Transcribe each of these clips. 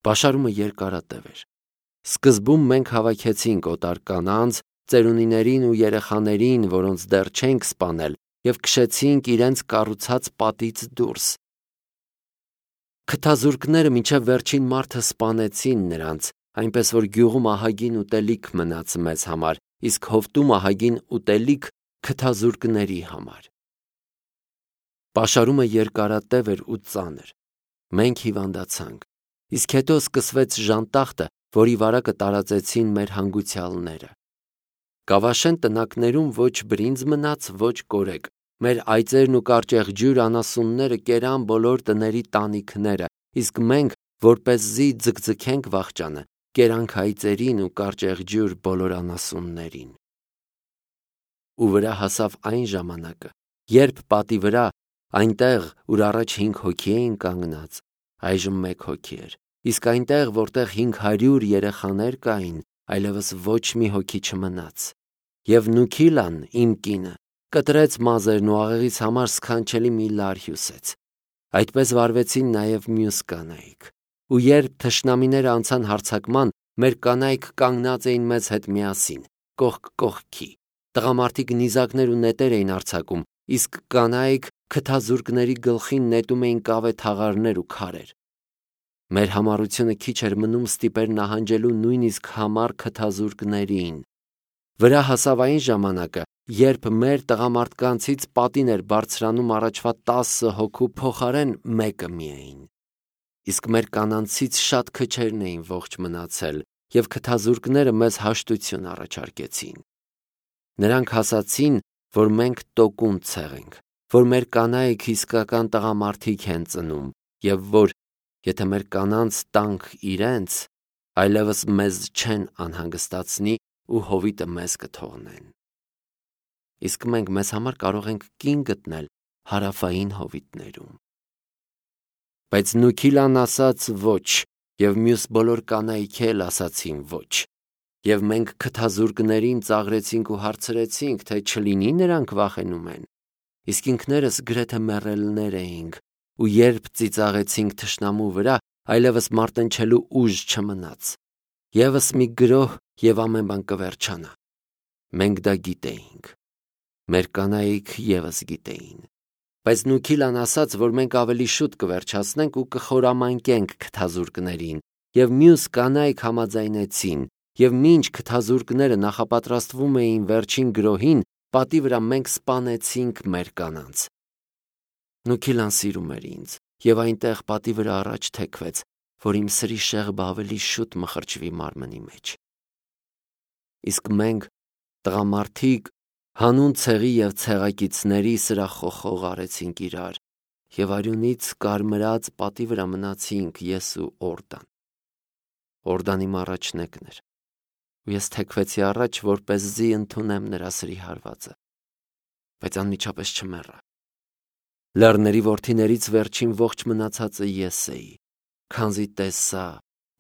Պաշարումը երկարատև էր։ Սկզբում մենք հավաքեցինք օտար կանանց, ծերունիներին ու երեխաներին, որոնց դեռ չենք սպանել, և քշեցինք իրենց կառուցած պատից դուրս։ Քթազուրկները մինչև վերջին մարդը սպանեցին նրանց, այնպես որ գյուղում ահագին ուտելիք մնաց մեզ համար, իսկ հովտում ահագին ուտելիք քթազուրկների համար։ Պաշարումը երկարատև էր ու ծանր։ Մենք հիվանդացանք, իսկ հետո սկսվեց ժանտախտը, որի վարակը տարածեցին մեր հանգուցյալները։ Կավաշեն տնակներում ոչ բրինձ մնաց, ոչ կորեկ։ Մեր այծերն ու կարճեղջյուր անասունները կերան բոլոր տների տանիքները, իսկ մենք, որպեսզի ձգձգենք վախճանը, կերանք այծերին ու կարճեղջյուր բոլոր անասուններին։ Ու վրա հասավ այն ժամանակը, երբ պատի վրա, այնտեղ, ուր առաջ 5 հոգի էին կանգնած, այժմ 1 հոգի էր, իսկ այնտեղ, որտեղ 500 երեխաներ կային, այլևս ոչ մի հոգի չմնաց։ Եվ Նուքիլան, իմ կինը, կտրեց մազերն ու աղեղից համար սքանչելի մի լար հյուսեց։ Այդպես վարվեցին նաև մյուս կանայք։ Ու երբ թշնամիները անցան հարձակման, մեր կանայք կանգնած էին մեզ հետ միասին, կողք կողքի։ Տղամարդիկ նիզակներ ու նետեր էին արձակում, իսկ կանայք քթազուրկների գլխին նետում էին կավե թաղարներ ու քարեր։ Մեր համառությունը քիչ էր մնում ստիպեր նահանջելու նույնիսկ համառ քթազուրկներին։ Վրա հասավ այն ժամանակը, երբ մեր տղամարդկանցից պատին էր բարձրանում առաջվա 10 հոգու փոխարեն 1 միայն։ Իսկ մեր կանանցից շատ քչերն էին ողջ մնացել, և քթազուրկները մեզ հաշտություն առաջարկեցին։ Նրանք ասացին, որ մենք տոկուն ցեղենք, որ մեր կանայք իսկական տղամարդիկ են ծնում, և որ, եթե մեր կանանց տանք իրենց, այլևս մեզ չեն անհանգստացնի ու հովիտը մեզ կթողնեն։ Իսկ մենք մեզ համար կարող ենք կին գտնել հարավային հովիտներում։ Բայց Նուքիլան ասաց ոչ, և մյուս բոլոր կանայք էլ ասացին ոչ։ Եվ մենք քթազուրկներին ծաղրեցինք ու հարցրեցինք, թե չլինի նրանք վախենում են։ Իսկ ինքներս գրեթե մեռելներ էինք, ու երբ ծիծաղեցինք թշնամու վրա, այլևս մարտնչելու ուժ չմնաց։ Եվս մի գրոհ, և ամեն բան կվերջանա։ Մենք դա գիտեինք։ Մեր կանայք ևս գիտեին։ Բայց Նուքիլան ասաց, որ մենք ավելի շուտ կվերջացնենք ու կխորամանկենք քթազուրկներին, և մյուս կանայք համաձայնեցին, և մինչ քթազուրկները նախապատրաստվում էին վերջին գրոհին, պատի վրա մենք սպանեցինք մեր կանանց։ Նուքիլան սիրում էր ինձ, և այնտեղ պատի վրա առաջ թեքվեց, որ իմ սրի շեղբը ավելի շուտ մխրճվի մարմնի մեջ։ Իսկ մենք, տղամարդիկ, հանուն ցեղի և ցեղակիցների սրախոխող արեցինք իրար, և արյունից կարմրած պատի վրա մնացինք ես ու Օրդան։ Օրդան իմ առաջնեկն էր, ու ես թեքվեցի առաջ, որպեսզի ընդունեմ նրա սրի հարվածը, բայց անմիջապես չմեռա։ Լեռների որդիներից վերջին ողջ մնացածը ես էի, քանզի տեսա,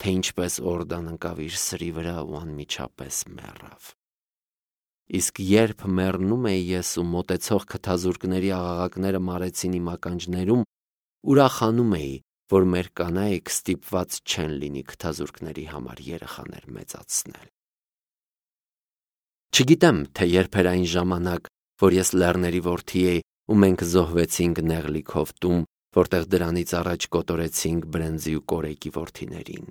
թե ինչպես Օրդան ընկավ իր սրի վրա ու անմիջապես մեռավ։ Իսկ երբ մեռնում էի ես ու մոտեցող քթազուրկների աղաղակները մարեցին իմ ականջներում, ուրախանում էի, որ մեր կանայք ստիպված չեն լինի քթազուրկների համար երեխաներ մեծացնել։ Չգիտեմ, թե երբ էր այն ժամանակ, որ ես լեռների որդի էի ու մենք զոհվեցինք Նեղլիկ հովտում, որտեղ դրանից առաջ կոտորեցինք բրենզի ու կորեկի որդիներին։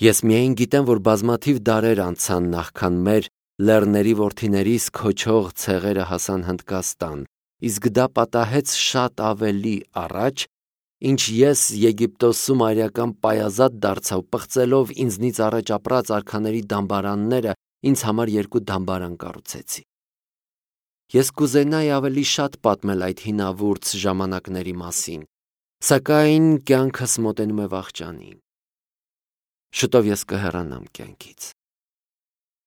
Ես միայն գիտեմ, որ բազմաթիվ դարեր անցան նախքան մեր լեռների որդիներիս քոչող ցեղերը հասան Հնդկաստան, իսկ դա պատահեց շատ ավելի առաջ, ինչ ես Եգիպտոսում արիական պայազատ դարձա ու պղծելով ինձնից առաջ ապրած արքաների դամբարանները ինձ համար 2 դամբարան կառուցեցի։ Ես կուզենայի ավելի շատ պատմել այդ հինավուրց ժամանակների մասին, սակայն կյանքս մոտենում է վախճանին։ Շուտով ես կհեռանամ կյանքից։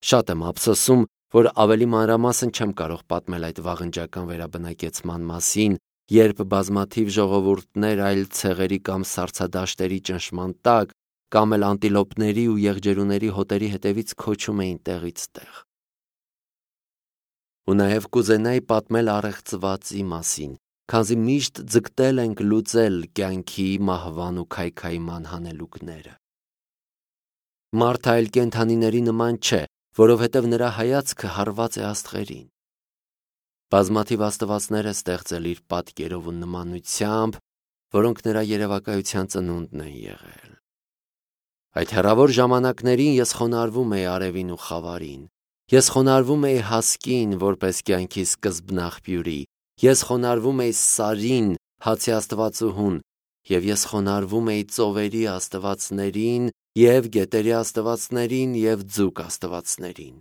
Շատ եմ ափսոսում, որ ավելի մանրամասն չեմ կարող պատմել այդ վաղնջական վերաբնակեցման մասին, երբ բազմաթիվ ժողովուրդներ այլ ցեղերի կամ սառցադաշտերի ճնշման տակ, կամ էլ անտիլոպների ու եղջերուների հոտերի հետևից քոչում էին տեղից տեղ։ Ու նաև կուզենայի պատմել առեղծվածի մասին, քանզի միշտ ձգտել ենք լուծել կյանքի, մահվան ու քայքայման հանելուկները։ Մարդը այլ կենդանիների նման չէ, որովհետև նրա հայացքը հարված է աստղերին։ Բազմաթիվ աստվածներ է ստեղծել իր պատկերով ու նմանությամբ, որոնք նրա երևակայության ծնունդն են եղել։ Այդ հեռավոր ժամանակներին ես խոնարհվում էի արևին ու խավարին, ես խոնարհվում էի հասկին, որպես կյանքի սկզբնաղբյուրի, ես խոնարհվում էի Սարին, հացի աստվածուհուն, և ես խոնարհվում էի ծովերի աստվածներին և գետերի աստվածներին և ձուկ աստվածներին։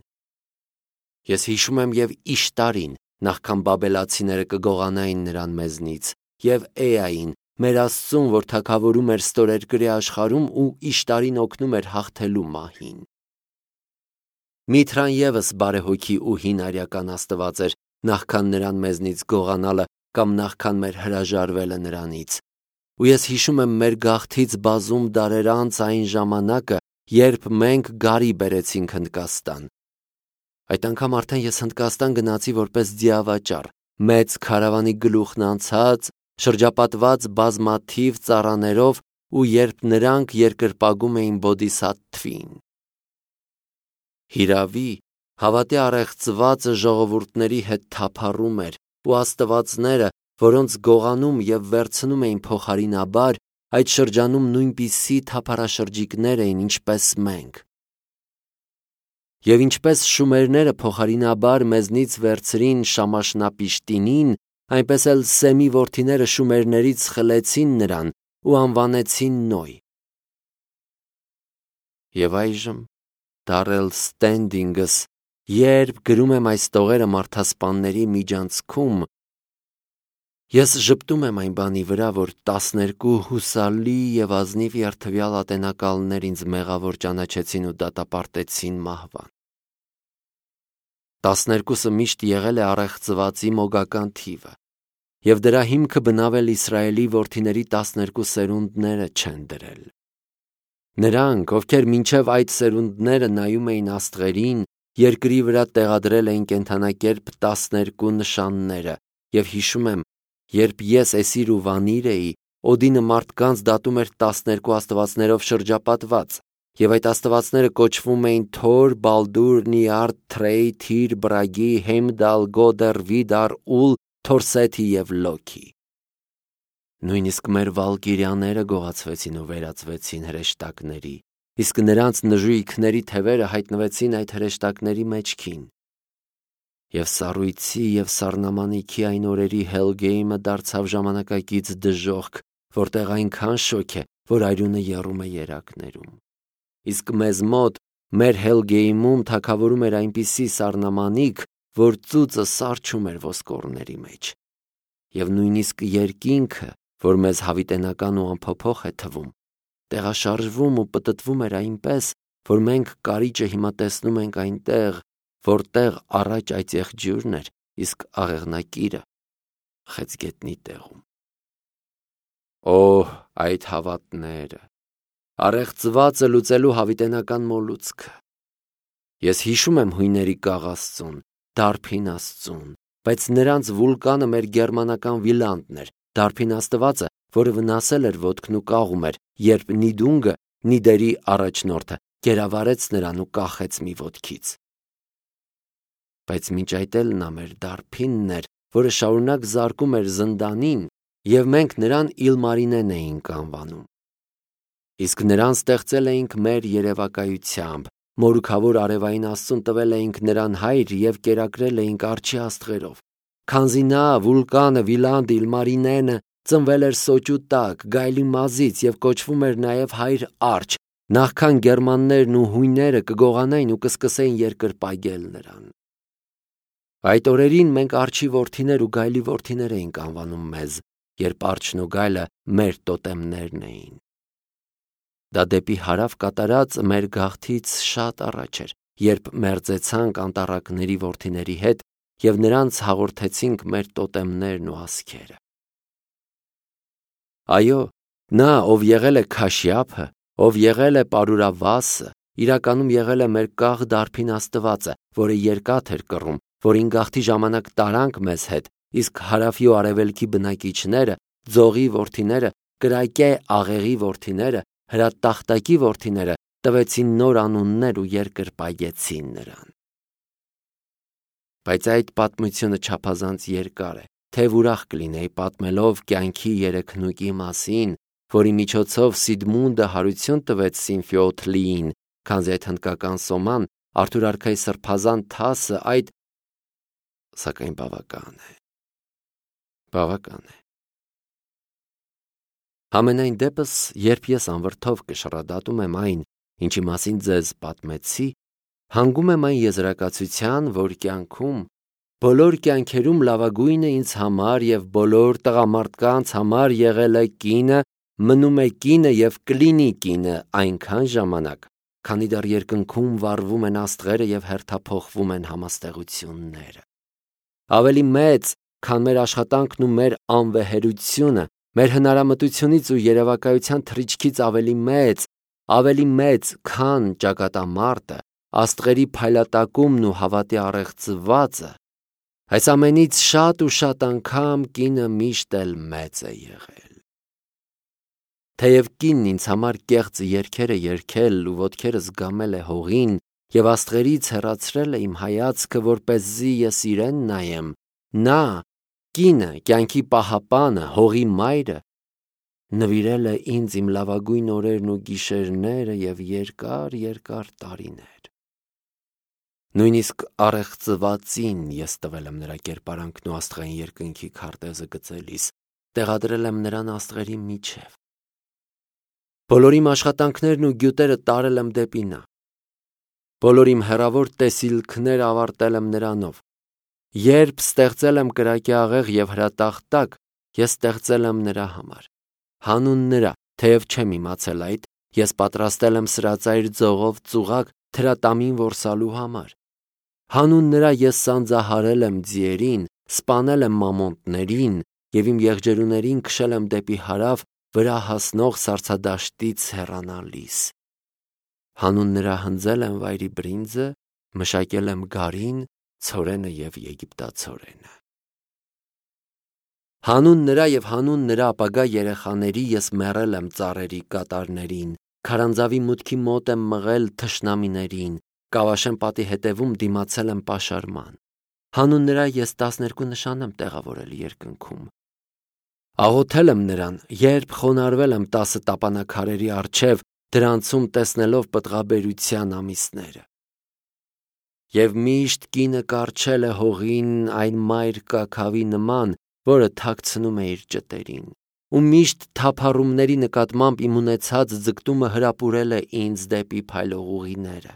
Ես հիշում եմ և Իշտարին, նախքան բաբելացիները կգողանային նրան մեզնից, և Էային, մեր Աստծուն, որ թագավորում էր ստորերկրի աշխարհում ու Իշտարին օգնում էր հաղթելու մահին։ Միթրան ևս բարեհոգի ու հին արյական աստված էր, նախքան նրան մեզնից գողանալը կամ նախքան մեր հրաժարվելը նրանից։ Ու ես հիշում եմ մեր գաղթից բազում դարեր անց այն ժամանակը, երբ մենք գարի բերեցինք Հնդկաստան։ Այդ անգամ արդեն ես Հնդկաստան գնացի որպես ձիավաճառ, մեծ քարավանի գլուխն անցած, շրջապատված բազմաթիվ ծառաներով ու երբ նրանք երկրպագում էին Բոդիսաթվին։ Հիրավի, հավատի առեղծվածը ժողովուրդների հետ թափառում էր, ու աստվածները, որոնց գողանում և վերցնում էին փոխարինաբար, այդ շրջանում նույնպիսի թափառաշրջիկներ էին, ինչպես մենք։ Եվ ինչպես շումերները փոխարինաբար մեզնից վերցրին Շամաշնապիշտինին, այնպես էլ Սեմի որդիները շումերներից խլեցին նրան ու անվանեցին Նոյ։ Եվ այժմ, Դարել Ստենդինգս, երբ գրում եմ այս տողերը մարդասպանների միջանցքում, ես ժպտում եմ այն բանի վրա, որ 12 հուսալի և ազնիվ երդվյալ ատենակալներ ինձ մեղավոր ճանաչեցին ու դատապարտեցին մահվան։ 12-ը միշտ եղել է առեղծվածի մոգական թիվը, և դրա հիմքը բնավել Իսրայելի որդիների 12 սերունդները չեն դրել։ Նրանք, ովքեր մինչև այդ սերունդները նայում էին աստղերին, երկրի վրա տեղադրել էին կենդանակերպ 12 նշանները, և հիշում եմ, երբ ես Էսիր ու Վանիր էի, Օդինը մարդկանց դատում էր 12 աստվածներով շրջապատված, և այդ աստվածները կոչվում էին Թոր, Բալդուր, Նիարդ, Թրեյ, Թիր, Բրագի, Հեմդալ, Գոդեր, Վիդար, Ուլ, Թորսեթի և Լոքի։ Նույնիսկ մեր վալկիրյաները գողացվեցին ու վերածվեցին հրեշտակների, իսկ նրանց նժույգների թևերը հայտնվեցին այդ հրեշտակների մեջքին։ Եվ սառույցի և սառնամանիքի այն օրերի Հելգեյմը դարձավ ժամանակակից դժոխք, որտեղ այնքան շոգ է, որ արյունը եռում է երակներում։ Իսկ մեզ մոտ, մեր Հելգեյմում թագավորում էր այնպիսի սառնամանիք, որ ծուծը սառչում էր ոսկորների մեջ։ Եվ նույնիսկ երկինքը, որ մեզ հավիտենական ու անփոփոխ է թվում, տեղաշարժվում ու պտտվում էր այնպես, որ մենք կարիճը հիմա տեսնում ենք այնտեղ, որտեղ առաջ այծեղ ջուրն էր, իսկ աղեղնակիրը խեցգետնի տեղում։ Օհ, այդ հավատները, առեղծվածը լուծելու հավիտենական մոլուցքը։ Ես հիշում եմ հույների կաղ Աստծուն, Դարբին Աստծուն, բայց նրանց վուլկանը մեր գերմանական Վիլանդն էր, Դարբին Աստվածը, որը վնասել էր ոտքն ու կաղում էր, երբ Նիդունգը, Նիդերի առաջնորդը, գերավարեց նրան ու կախեց մի ոտքից։ Բայց մինչ այդ էլ նա մեր Դարբինն էր, որը շարունակ զարկում էր զնդանին, և մենք նրան Իլմարինեն էինք անվանում։ Իսկ նրան ստեղծել էինք մեր երևակայությամբ, մորուքավոր արևային Աստծուն տվել էինք նրան հայր և կերակրել էինք արջի աստղերով։ Քանզի նա, վուլկանը, Վիլանդը, Իլմարինենը, ծնվել էր սոճու տակ, գայլի մազից և կոչվում էր նաև հայր արջ, նախքան գերմաններն ու հույները կգողանային ու կսկսեին երկրպագել նրան։ Այդ օրերին մենք արջի որդիներ ու գայլի որդիներ էինք անվանում մեզ, երբ արջն ու գայլը մեր տոտեմներն էին։ Դա դեպի հարավ կատարած մեր գաղթից շատ առաջ էր, երբ մերձեցանք անտառակների որդիների հետ և նրանց հաղորդեցինք մեր տոտեմներն ու ասքերը։ Այո, նա, ով եղել է Քաշյափը, ով եղել է Պարուրավասը, իրականում եղել է մեր կաղ Դարբին Աստվածը, որը երկաթ էր կռում, որին գաղթի ժամանակ տարանք մեզ հետ, իսկ հարավի ու արևելքի բնակիչները, ձողի որդիները, կրակե աղեղի որդիները, հրատախտակի որդիները տվեցին նոր անուններ ու երկրպագեցին նրան։ Բայց այդ պատմությունը չափազանց երկար է, թեև ուրախ կլինեի պատմելով կյանքի երեքնուկի մասին, որի միջոցով Սիգմունդը հարություն տվեց Սինֆիոթլիին, քանզի այդ հնդկական սոման Արթուր արքայի սրբազան թասը այդ սակայն բավական է։ Համենայն դեպս, երբ ես անվրդով կշռադատում եմ այն, ինչի մասին ձեզ պատմեցի, հանգում եմ այն եզրակացության, որ կյանքում, բոլոր կյանքերում լավագույնը ինձ համար և բոլոր տղամարդկանց համար եղել է կինը, մնում է կինը և կլինի կինը այնքան ժամանակ, քանի դեռ երկնքում վառվում են աստղերը և հերթափոխվում են համաստեղությունները։ Ավելի մեծ, քան մեր աշխատանքն ու մեր անվեհերությունը, մեր հնարամտությունից ու երևակայության թռիչքից ավելի մեծ, քան ճակատամարտը, աստղերի փայլատակումն ու հավատի առեղծվածը, այս ամենից շատ ու շատ անգամ կինը միշտ էլ մեծ է եղել։ Թեև կինն ինձ համար կեղծ երգեր է երգել ու ոտքերս գամել է հողին և աստղերից հեռացրել է իմ հայացքը, որպեսզի ես իրեն նայեմ, նա, կինը, կյանքի պահապանը, հողի մայրը, նվիրել է ինձ իմ լավագույն օրերն ու գիշերները և երկար տարիներ։ Նույնիսկ առեղծվածին ես տվել եմ նրա կերպարանքն ու աստղային երկնքի քարտեզը գծելիս, տեղադրել եմ նրան աստղերի միջև։ Բոլոր իմ աշխատանքներն ու գյուտերը տարել եմ դեպի նա։ Բոլոր իմ հեռավոր տեսիլքները ավարտել եմ նրանով։ Երբ ստեղծել եմ կրակի աղեղ և հրատախտակ, ես ստեղծել եմ նրա համար։ Հանուն նրա, թեև չեմ իմացել այդ, ես պատրաստել եմ սրածայր ձողով ծուղակ թրատամին որսալու համար։ Հանուն նրա ես սանձահարել եմ ձիերին, սպանել եմ մամոնտներին և իմ եղջերուներին քշել եմ դեպի հարավ վրա հասնող սառցադաշտից հեռանալիս։ Հանուն նրա հնձել եմ վայրի բրինձը, մշակել եմ գարին, ցորենը և եգիպտացորենը։ Հանուն նրա և հանուն նրա ապագա երեխաների ես մեռել եմ ծառերի կատարներին, քարանձավի մուտքի մոտ եմ մղել թշնամիներին, Կավաշեն պատի հետևում դիմացել եմ պաշարման։ Հանուն նրա ես 12 նշան եմ տեղավորել երկնքում։ Աղոթել եմ նրան, երբ խոնարհվել եմ 10 տապանաքարերի առջև, դրանցում տեսնելով պտղաբերության ամիսները։ Եվ միշտ կինը կառչել է հողին այն մայր կաքավի նման, որը թաքցնում է իր ճտերին, ու միշտ թափառումների նկատմամբ իմ ունեցած ձգտումը հրապուրել է ինձ դեպի փայլող ուղիները։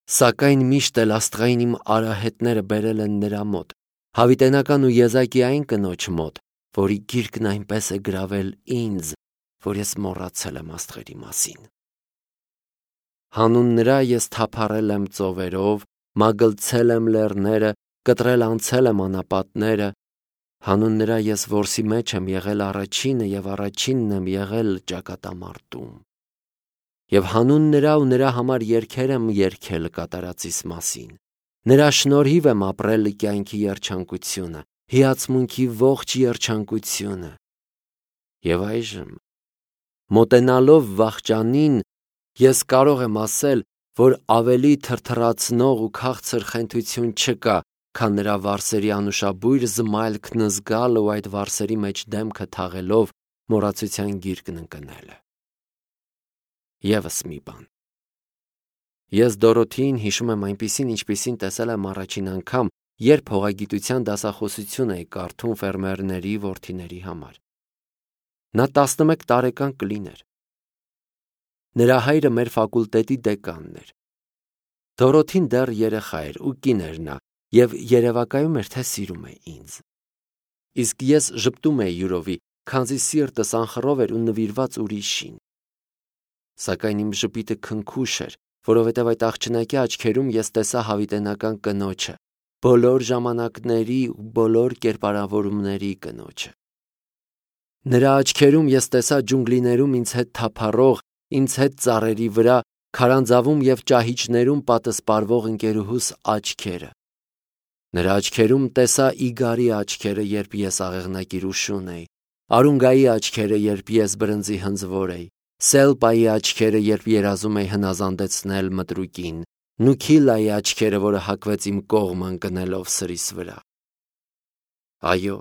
Սակայն միշտ էլ աստղային իմ արահետները բերել են նրա մոտ, հավիտենական ու եզակի այն կնոջ մոտ, որի գիրկն այնպես է գրավել ինձ, որ ես մոռացել եմ աստղերի մասին։ Հանուն նրա ես թափառել եմ ծովերով, մագլցել եմ լեռները, կտրել անցել եմ անապատները։ Հանուն նրա ես որսի մեջ եմ եղել առաջինը և առաջինն եմ եղել ճակատամարտում։ Եվ հանուն նրա ու նրա համար երգեր եմ երգել կատարածիս մասին։ Նրա շնորհիվ եմ ապրել կյանքի երջանկությունը, հիացմունքի ողջ երջանկությունը։ Եվ այժմ, մոտենալով վախճանին, ես կարող եմ ասել, որ ավելի թրթռացնող ու քաղցր խենթություն չկա, քան նրա վարսերի անուշաբույր զմայլքն զգալ ու այդ վարսերի մեջ դեմքը թաղելով մոռացության գիրկն ընկնելը։ Եվս մի բան։ Ես Դորոթեին հիշում եմ այնպիսին, ինչպիսին տեսել եմ առաջին անգամ, երբ հողագիտության դասախոսություն էի կարդում ֆերմերների որդիների համար։ Նա 11 տարեկան կլիներ։ Նրա հայրը մեր ֆակուլտետի դեկանն էր։ Դորոթին դեռ երեխա էր ու կին էր նա և երևակայում էր, թե սիրում է ինձ։ Իսկ ես ժպտում էի յուրովի, քանզի սիրտս անխռով էր ու նվիրված ուրիշին։ Սակայն իմ ժպիտը քնքուշ էր, որովհետև այդ աղջնակի աչքերում ես տեսա հավիտենական կնոջը, բոլոր ժամանակների ու բոլոր կերպարավորումների կնոջը։ Նրա աչքերում ես տեսա ջունգլիներում ինձ հետ թափառող, ինձ հետ ծառերի վրա, քարանձավում և ճահիճներում պատսպարվող ընկերուհուս աչքերը։ Նրա աչքերում տեսա Իգարի աչքերը, երբ ես աղեղնակիր ու շուն էի, Արունգայի աչքերը, երբ ես բրնձի հնձվոր էի, Սելպայի աչքերը, երբ երազում էի հնազանդեցնել մտրուկին, Նուքիլայի աչքերը, որը հակվեց իմ կողմը ընկնելով սրիս վրա։ Այո,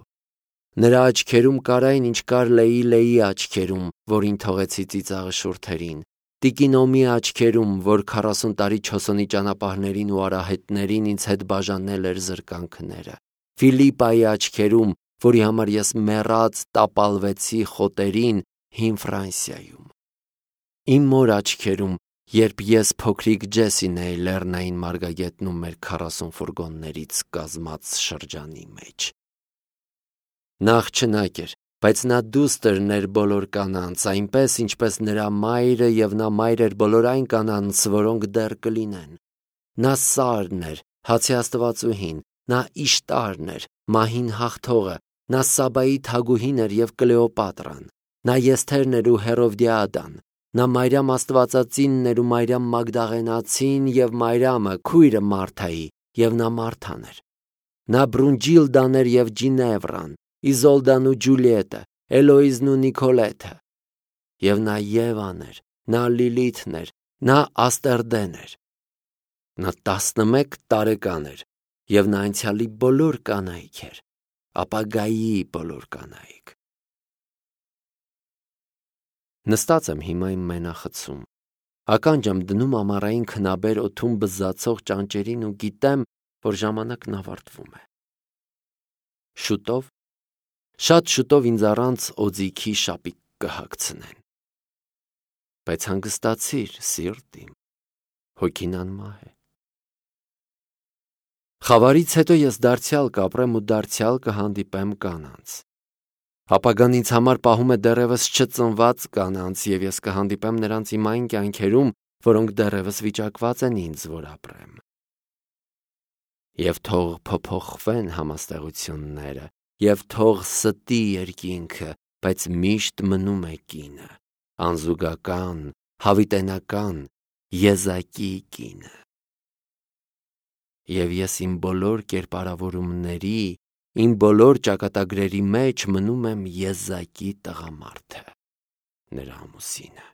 նրա աչքերում կար այն, ինչ կար Լեյլեի աչքերում, որին թողեցի ծիծաղը շուրթերին, Տիկինոմի աչքերում, որ 40 տարի չոսոնի ճանապարհներին ու արահետներին ինձ հետ բաժանել էր զրկանքները, Ֆիլիպայի աչքերում, որի համար ես մեռած տապալվեցի խոտերին հին Ֆրանսիայում, իմ մոր աչքերում, երբ ես փոքրիկ Ջեսին էի լեռնային մարգագետնում մեր 40 ֆուրգոններից կազմած շրջանի մեջ։ Նա աղջնակ էր, բայց նա դուստր էր բոլոր կանանց, այնպես ինչպես նրա մայրը և նա մայր էր բոլոր այն կանանց, որոնք դեռ կլինեն։ Նա Սարն էր, հացի աստվածուհին, նա Իշտարն էր, մահին հաղթողը, նա Սաբայի թագուհին էր և Կլեոպատրան, նա Եսթերն էր ու Հերովդիադան, նա Մարիամ Աստվածածինն էր ու Մարիամ Մագդաղենացին և Մարիամը, քույրը Մարթայի, և նա Մարթան էր։ Նա Բրունջիլդան էր և Ջինևրան, Իզոլդան ու Ջուլիետը, Էլոիզն ու Նիկոլեթը։ Եվ նա Եվան էր, նա Լիլիթն էր, նա Աստրդեն էր։ Նա 11 տարեկան էր, և նա անցյալի բոլոր կանայք էր, ապագայի բոլոր կանայք։ Նստած եմ հիմա իմ մենախցում, ականջ եմ դնում ամառային քնաբեր օդում բզզացող ճանճերին ու գիտեմ, որ ժամանակն ավարտվում է։ Շուտով, շատ շուտով ինձ առանց օձիքի շապիկ կհագցնեն։ Բայց հանգստացիր, սիրտ իմ, հոգին անմահ է։ Խավարից հետո ես դարձյալ կապրեմ ու դարձյալ կհանդիպեմ կանանց։ Ապագան ինձ համար պահում է դեռևս չծնված կանանց, և ես կհանդիպեմ նրանց իմ այն կյանքերում, որոնք դեռևս վիճակված են ինձ, որ ապրեմ։ Եվ թող փոփոխվեն համաստեղությունները, և թող ստի երկինքը, բայց միշտ մնում է կինը, անզուգական, հավիտենական, եզակի կինը։ Եվ ես իմ բոլոր կերպարավորումների, իմ բոլոր ճակատագրերի մեջ մնում եմ եզակի տղամարդը, նրա ամուսինը։